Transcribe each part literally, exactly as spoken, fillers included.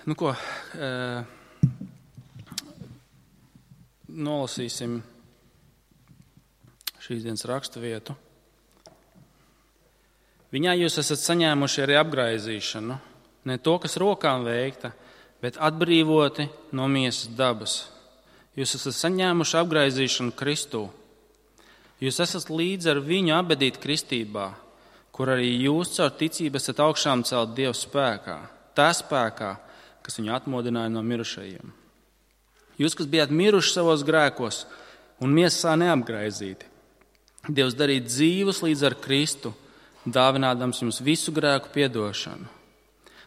Nu ko, e, nolasīsim šīs dienas rakstu vietu. Viņā jūs esat saņēmuši arī apgraizīšanu, ne to, kas rokām veikta, bet atbrīvoti no miesas dabas. Jūs esat saņēmuši apgraizīšanu Kristū. Jūs esat līdz ar viņu abedīti kristībā, kur arī jūs caur ticību esat augšām celt Dieva spēkā, tā spēkā, kas viņu atmodināja no mirušajiem. Jūs, kas bijāt miruši savos grēkos un miesā neapgraizīti, Dievs darīja dzīvus līdz ar Kristu, dāvinādams jums visu grēku piedošanu.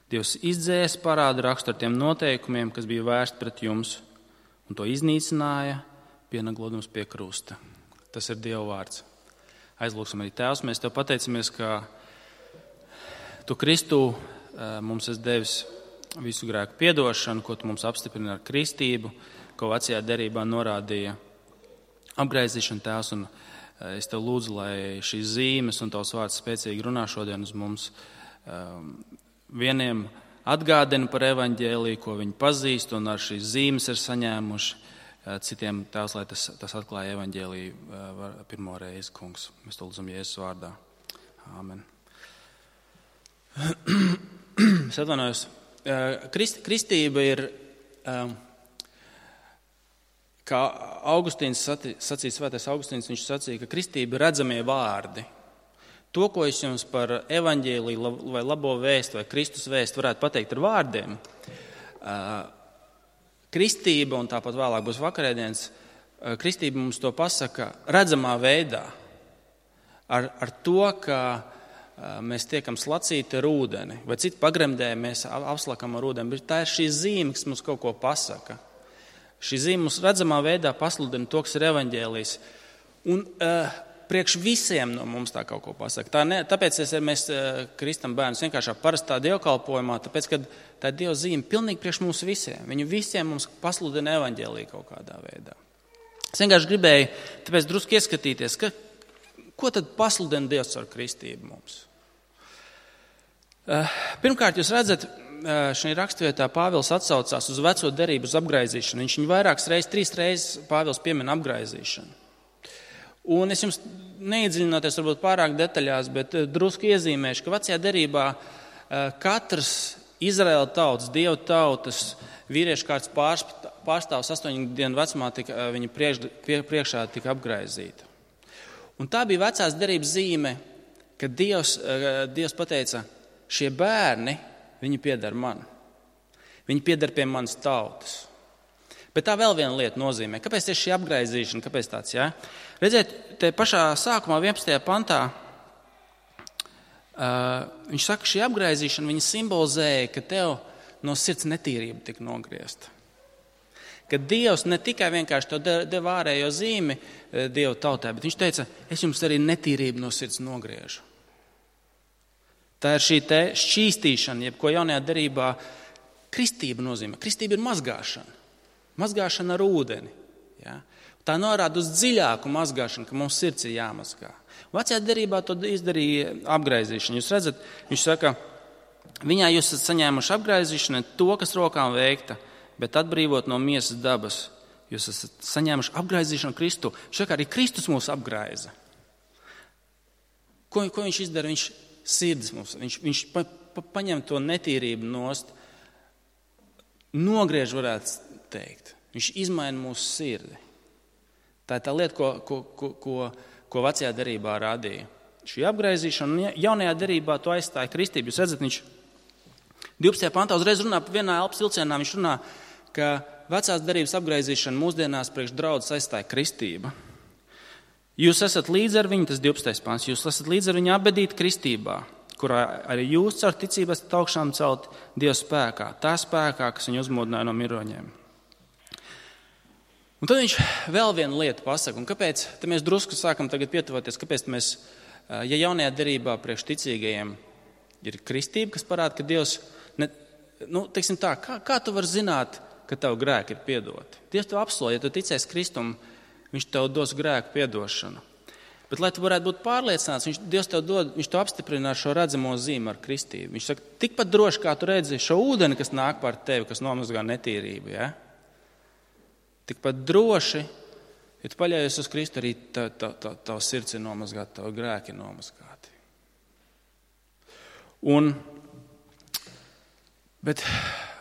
Dievs izdzēs parādu rakstu ar tiem noteikumiem, kas bija vērsti pret jums, un to iznīcināja, pienaglodams pie krusta. Tas ir Dieva vārds. Aizlūksim arī Tēvs, mēs Tev pateicamies, ka Tu Kristū mums esi devis visu grēku piedošanu, ko Tu mums apstiprina ar kristību, ko vecajā derībā norādīja apgraizīšana, Tēvs, un es Tev lūdzu, lai šīs zīmes un Tavs vārds spēcīgi runā šodien uz mums. Vieniem atgādina par evaņģēliju, ko viņi pazīst un ar šīs zīmes ir saņēmuši. Citiem Tēvs, lai tas, tas atklāja evaņģēliju pirmo reizi, kungs. Mēs to lūdzam Jēzus vārdā. Āmen. Es atvainojos. Krist, kristība ir, kā Augustīns sacīja, svētais Augustīns, viņš sacīja, ka kristība ir redzamie vārdi. To, ko es jums par evaņģēliju vai labo vēstu vai Kristus vēstu varētu pateikt ar vārdiem, kristība, un tāpat vēlāk būs vakarēdienas, kristība mums to pasaka redzamā veidā. Ar, ar to, ka mēs tiekam slacīti ar ūdeni, vai citu pagremdē mēs apslakam ar ūdeni, bet tā ir šī zīme, kas mums kaut ko pasaka. Šī zīme mums redzamā veidā pasludina to, kas ir evaņģēlijs. Un uh, priekš visiem no mums tā kaut ko pasaka. Tā ne, tāpēc es, mēs uh, kristam bērnus vienkāršā parastā dievkalpojumā, tāpēc, ka tā ir Dieva zīme pilnīgi priekš mums visiem. Viņu visiem mums pasludina evaņģēliju kaut kādā veidā. Es vienkārši gribēju tāpēc drusku ieskatīties, ka, ko tad pasludina Dievs ar kristību mums. Uh, pirmkārt, jūs redzat, šajā rakstvietā Pāvils atsaucās uz veco derību, uz apgraizīšanu. Viņš viņu vairākas reizes, trīs reizes Pāvils piemin apgraizīšanu. Un es jums neiedziļinoties varbūt pārāk detaļās, bet drusku iezīmēšu, ka vecajā derībā katrs Izraēla tautas, Dieva tautas, vīriešu kārtas pārstāvs astoņu dienu vecumā tika, viņa priekš, priekšā tika apgraizīta. Un tā bija vecās derības zīme, kad Dievs, Dievs pateica, šie bērni, viņi pieder man. Viņi pieder pie manas tautas. Bet tā vēl viena lieta nozīmē. Kāpēc tieši šī apgraizīšana? Kāpēc tāds, jā? Redziet, te pašā sākumā vienpadsmitajā pantā uh, viņš saka, šī apgraizīšana viņa simbolizēja, ka tev no sirds netīrība tika nogriezta. Ka Dievs ne tikai vienkārši tev deva ārējo zīmi Dieva tautē, bet viņš teica, es jums arī netīrību no sirds nogriežu. Tā ir šī te šķīstīšana, jeb ko jaunajā derībā kristība nozīmē. Kristība ir mazgāšana. Mazgāšana ar ūdeni. Ja? Tā norāda uz dziļāku mazgāšanu, ka mums sirds ir jāmazgā. Vecajā derībā to izdarīja apgraizīšana. Jūs redzat, viņš saka, viņā jūs esat saņēmuši apgraizīšanu, to, kas rokām veikta, bet atbrīvot no miesas dabas. Jūs esat saņēmuši apgraizīšanu Kristu. Viņš saka, arī Kristus mūs apgraiza. Ko, ko viņš izdara? Viņš sirds mums, viņš, viņš pa, pa, paņem to netīrību nost, nogriež, varētu teikt. Viņš izmaina mūsu sirdi. Tā ir tā lieta, ko, ko, ko, ko, ko vecajā derībā rādīja. Šī apgraizīšana, jaunajā derībā to aizstāja kristību. Jūs redzat, viņš divpadsmitajā pantā uzreiz runā par vienā elpas vilcienā, viņš runā, ka vecās derības apgraizīšana mūsdienās priekš draudzes aizstāja kristība. Jūs esat līdz ar viņu, tas divpadsmitais pants, jūs esat līdz ar viņu abedīti kristībā, kurā arī jūs caur ticību esat augšām celt Dieva spēkā, tā spēkā, kas viņu uzmodināja no miroņiem. Un tad viņš vēl vienu lietu pasaka, un kāpēc, tad mēs drusku sākam tagad pietuvoties, kāpēc mēs, ja jaunajā derībā priekš ticīgajiem ir kristība, kas parāda, ka Dievs, ne, nu, teiksim tā, kā, kā tu vari zināt, ka tavu grēki ir piedoti? Dievs tev apsolīja, ja tu ticēsi Kristum, viņš tev dos grēku piedošanu. Bet, lai tu varētu būt pārliecināts, viņš, Dievs tev dod, viņš to apstiprina ar šo redzamo zīmi, ar kristību. Viņš saka, tikpat droši, kā tu redzi šo ūdeni, kas nāk pār tevi, kas nomazgā netīrību. Ja? Tikpat droši, ja tu paļaujies uz Kristu, arī tav, tav, tav, tav sirds ir nomazgāta, tav grēki ir nomazgāti. Un, bet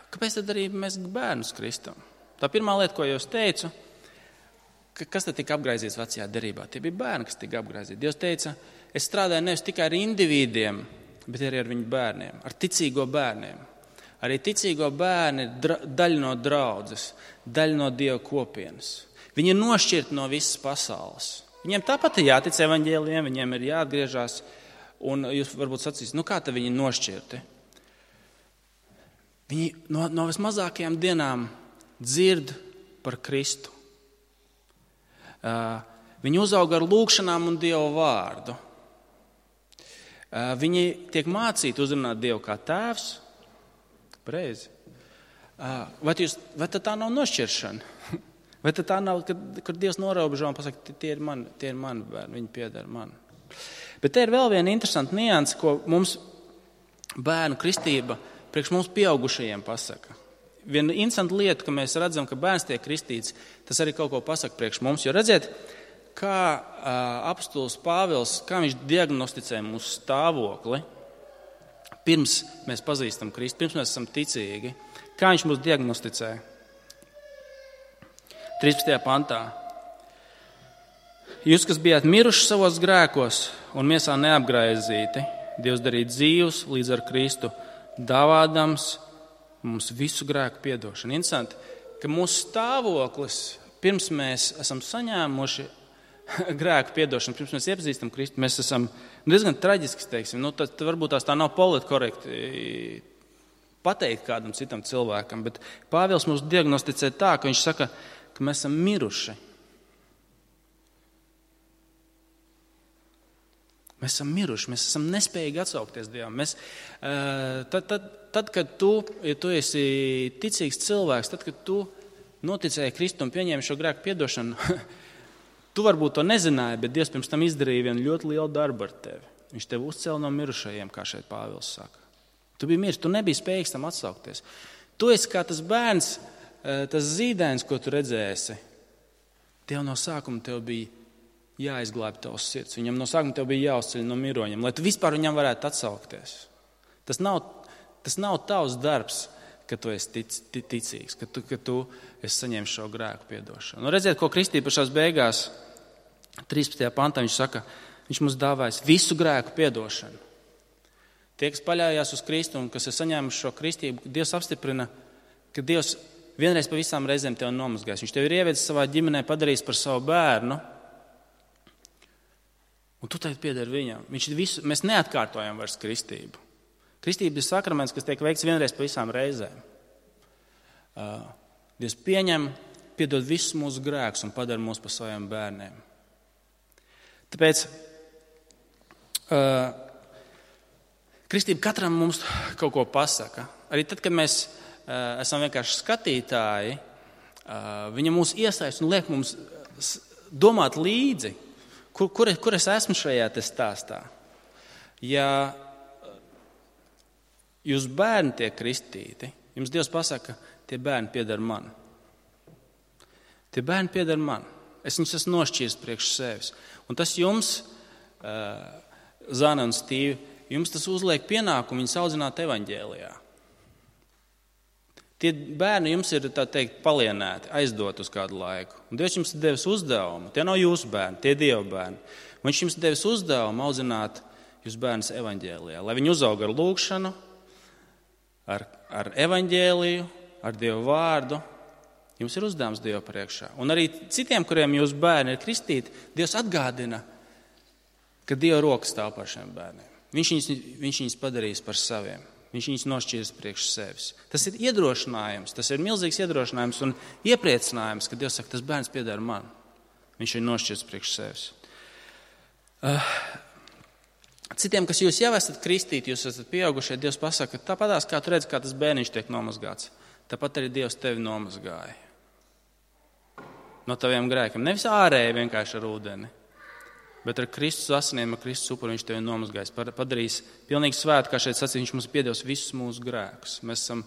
kāpēc tad arī mēs bērnus kristam? Tā pirmā lieta, ko jau es teicu, kas tad tika apgraizīts vecajā derībā? Tie bija bērni, kas tika apgraizīti. Dievs teica, es strādāju nevis tikai ar individiem, bet arī ar viņu bērniem, ar ticīgo bērniem. Arī ticīgo bērni ir dra, daļa no draudzes, daļa no Dieva kopienas. Viņi ir nošķirti no visas pasaules. Viņiem tāpat ir jātic evaņģēlijiem, viņiem ir jāatgriežas, un jūs varbūt sacīs, nu kā tad viņi nošķirti? Viņi no, no vismazākajām dienām dzird par Kristu. Uh, viņi uzauga ar lūgšanām un Dieva vārdu. Uh, viņi tiek mācīti uzrunāt Dievu kā tēvs. Pareizi. Uh, vai, jūs, vai tā nav nošķiršana? Vai tā nav, kad, kad Dievs norobežo un pasaka, tie ir mani, tie ir mani bērni, viņi pieder man. Bet te ir vēl viena interesanta nianse, ko mums bērnu kristība priekš mums pieaugušajiem pasaka. Viena interesanta lieta, ka mēs redzam, ka bērns tiek kristīts, tas arī kaut ko pasaka priekš mums. Jo redziet, kā uh, apostols Pāvils, kā viņš diagnosticē mūsu stāvokli, pirms mēs pazīstam Kristu, pirms mēs esam ticīgi. Kā viņš mūs diagnosticē? trīspadsmitajā pantā. Jūs, kas bijāt miruši savos grēkos un miesā neapgraizīti, Dievs darīja dzīvus līdz ar Kristu, dāvādams mums visu grēku piedošanu. Interesanti, ka mūsu stāvoklis, pirms mēs esam saņēmuši grēku piedošanu, pirms mēs iepazīstam Kristu, mēs esam diezgan traģiski, teiksim. Nu, tad varbūt tās tā nav politkorekti pateikt kādam citam cilvēkam, bet Pāvils mums diagnosticē tā, ka viņš saka, ka mēs esam miruši. Mēs esam miruši, mēs esam nespējīgi atsaukties Dievam. Mēs, tad, tad, tad, kad tu, ja tu esi ticīgs cilvēks, tad, kad tu noticēji Kristu un pieņēmi šo grēku piedošanu, tu varbūt to nezināji, bet Dievs pirms tam izdarīja vienu ļoti lielu darbu ar tevi. Viņš tevi uzcēla no mirušajiem, kā šeit Pāvils saka. Tu biji miris, tu nebija spējīgs tam atsaukties. Tu esi kā tas bērns, tas zīdēns, ko tu redzēsi. Tev no sākuma tev bija jāizglābj tavs sirds. Viņam no sākuma tev bija jāuzceļ no miroņiem, lai tu vispār viņam varētu atsaukties. Tas nav, tas nav tavs darbs, ka tu esi tic, ticīgs, ka tu, ka tu esi saņēmis šo grēku piedošanu. Nu, redziet, ko Kristība pašās beigās, trīspadsmitajā pantā, viņš saka, viņš mums dāvājas visu grēku piedošanu. Tie, kas paļājās uz Kristu un kas ir saņēmuši šo kristību, Dievs apstiprina, ka Dievs vienreiz pa visām reizēm tev nomazgājis. Viņš tev ir ievedis savā ģimenē, padarījis par savu bērnu, un tu tagad piedari viņam. Viņš visu, mēs neatkārtojam vairs kristību. Kristība ir sakraments, kas tiek veikts vienreiz pa visām reizēm. Uh, Dievs pieņem, piedod visus mūsu grēkus un padara mūs par saviem bērniem. Tāpēc uh, kristība katram mums kaut ko pasaka. Arī tad, kad mēs uh, esam vienkārši skatītāji, uh, viņa mūs iesaist un liek mums domāt līdzi, Kur, kur, kur es esmu šajā te stāstā? Ja jūs bērni tiek kristīti, jums Dievs pasaka, tie bērni pieder man. Tie bērni pieder man. Es viņus esmu nošķīris priekš sevis. Un tas jums, uh, Zana un Stīvi, jums tas uzliek pienākumu viņus audzināt evaņģēlijā. Tie bērni jums ir, tā teikt, palienēti, aizdot uz kādu laiku. Un Dievs jums ir devis uzdevumu. Tie nav jūsu bērni, tie ir Dieva bērni. Viņš jums ir devis uzdevumu audzināt jūs bērnus evaņģēlijā. Lai viņi uzauga ar lūgšanu, ar, ar evaņģēliju, ar Dieva vārdu. Jums ir uzdevums Dieva priekšā. Un arī citiem, kuriem jūsu bērni ir kristīti, Dievs atgādina, ka Dieva roka stāv par šiem bērniem. Viņš viņus, viņš viņus padarīs par saviem. Viņš viņus nošķirs priekš sevis. Tas ir iedrošinājums, tas ir milzīgs iedrošinājums un iepriecinājums, ka Dievs saka, tas bērns pieder man. Viņš ir nošķirs priekš sevis. Uh, citiem, kas jūs jau esat kristīti, jūs esat pieaugušie, Dievs pasaka, tāpatās, kā tu redzi, kā tas bērniņš tiek nomazgāts, tāpat arī Dievs tevi nomazgāja. No taviem grēkiem. Nevis ārēji vienkārši ar ūdeni, Bet ar Kristus asinīm, ar Kristus upuri viņš tevi nomazgājis, padarīs pilnīgi svētu, kā šeit sacīja, viņš mums piedos visus mūsu grēkus. Mēs esam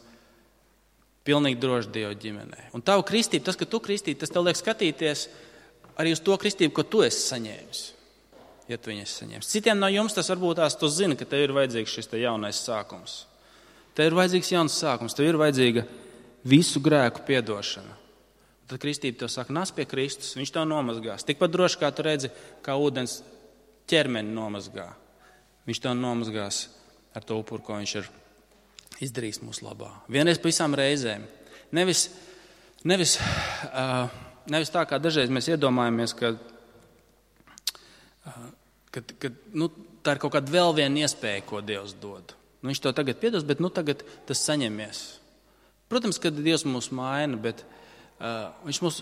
pilnīgi droši Dieva ģimenē. Un tavu kristību, tas, ka tu kristīji, tas tev liek skatīties arī uz to kristību, ko tu esi saņēmis. Ja tu viņu esi saņēmis. Citiem no jums tas varbūt tās tu zini, ka tev ir vajadzīgs šis te jaunais sākums. Tev ir vajadzīgs jauns sākums, tev ir vajadzīga visu grēku piedošana. Tad kristība tev saka, nāc pie Kristus, viņš tev nomazgās. Tikpat droši, kā tu redzi, kā ūdens ķermeni nomazgā. Viņš tev nomazgās ar to upuru, ko viņš ir izdarījis mūsu labā. Vienreiz pa visām reizēm. Nevis, nevis, uh, nevis tā, kā dažreiz mēs iedomājamies, ka, uh, ka, ka nu, tā ir kaut kāda vēl viena iespēja, ko Dievs dod. Nu, viņš to tagad piedos, bet nu, tagad tas saņemies. Protams, ka Dievs mūs maina, bet uh, viņš mūs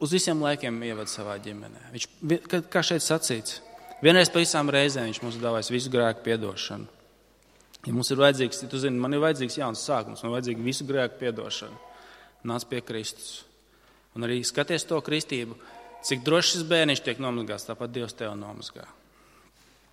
uz visiem laikiem ievada savā ģimenē. Viņš, kā šeit sacīts, vienreiz pa visām reizēm viņš mums dāvājas visu grēku piedošanu. Ja mums ir vajadzīgs, ja tu zini, man ir vajadzīgs jauns sākums, man ir vajadzīga visu grēku piedošanu. Nāc pie Kristus. Un arī skaties to kristību, cik droši šis bērniņš tiek nomazgāts, tāpat Dievs tev nomazgā.